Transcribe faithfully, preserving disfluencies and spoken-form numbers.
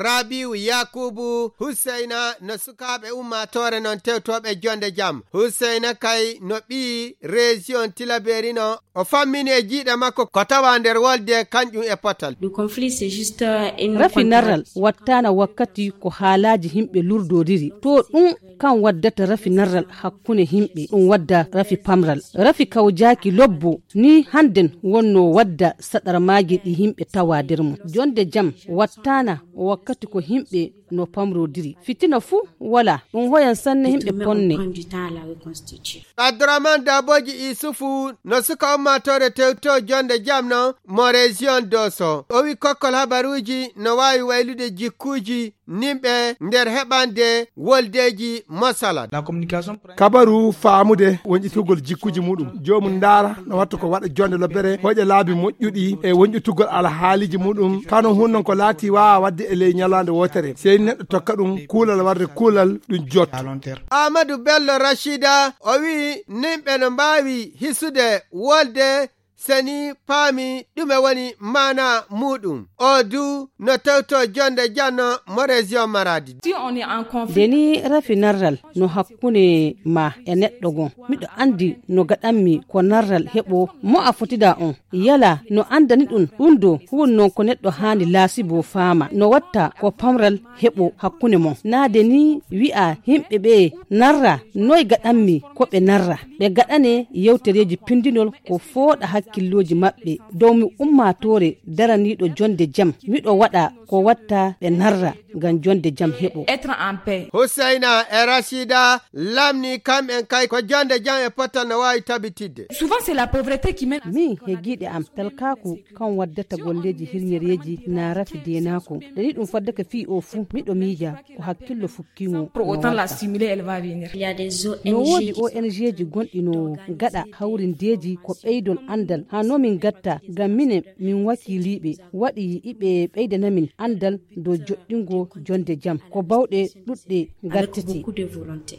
Rabiu Yakubu Husseina no sukaaɓe ummaatoore non tewtooɓe jonde jam. Husseina kay no ɓii région Tilaberi no. O fammini e jiiɗe makko ko tawa nder wolde kanƴum e potal. Le conflit, c'est juste, euh, une rafi narral wattaana wakkati ko haalaaji himɓe lurdodiri. To ɗum kan waddata rafi narral hakkunde himɓe, ɗum wadda rafi pamral. Rafi kawjaaki lobbo ni hannden wonno wadda saɗarmaaji ɗi himɓe tawa nder mum. Jonde jam wattaana wakkati ko himɓe no pamrodiri. Fitina fuu wala, ɗum hoyan sanne himɓe ponne. Abdourahmane Daboji Isufu no suka ummaatoore tewto jonde jam no mo région Doso. O wi kokkol habaruuji no waawi waylude jikkuuji nimɓe nder heɓande woldeeji mosalan. Kabaru faamude wonƴitugol jikkuuji muɗum. Joomum ndaara no watta ko waɗa jonde lobbere, hoƴa laabi moƴƴuɗi e wonƴitugol alhaaliiji muɗum. Kano hun non ko laati waawa waɗde e ley ñalaande wootere. Sey neɗɗo tokka ɗum kuulal warde kuulal ɗum jotto. Amadou Bello Rachida, o wi nimɓe no mbaawi hisude wolde seni paami ɗume woni maana muɗum. O du no tewto jonde janno mo région Maradi. Si on est en conflit. Nde ni rafi narral no hakkunde ma e neɗɗo gon. Miɗo anndi no gaɗanmi ko narral heɓo mo a fotida on. Yala no anndani ɗum, ɗum do huun non ko neɗɗo haani laasibo faama. No watta ko pamral heɓo hakkunde mon. Naade ni wi'a himɓe ɓe narra, noy gaɗanmi ko ɓe narra. Ɓe gaɗane yewtereeji pindinol ko fooɗa hakkillooji maɓɓe. Dow mi ummaatoore daraniiɗo jonde jam. Miɗo waɗa ko watta ɓe narra ngam jonde jam heɓo. Être en paix. Husseina e Rachida lamni kamɓen kay ko jonde jam e potal no waawi tabitidde. Souvent, c'est la pauvreté qui mène à min he giiɗe am talkaaku kan waddata golleeji hirñereeji na rafi deenaako. Ɗani ɗum faddaka fii o fuu, miɗo miija ko hakkillo fukkiimo. Pour autant la stimuler, elle va venir. Il y a des no woodi O N G ji gonɗi no gaɗa hawrindeeji ko ɓeydol anndal. Haa no min gatta ngam minen min wakiiliiɓe waɗi iɓe ɓeydana min anndal dow joɗɗingo jonde jam. Ko bawɗe ɗuɗɗe gattete.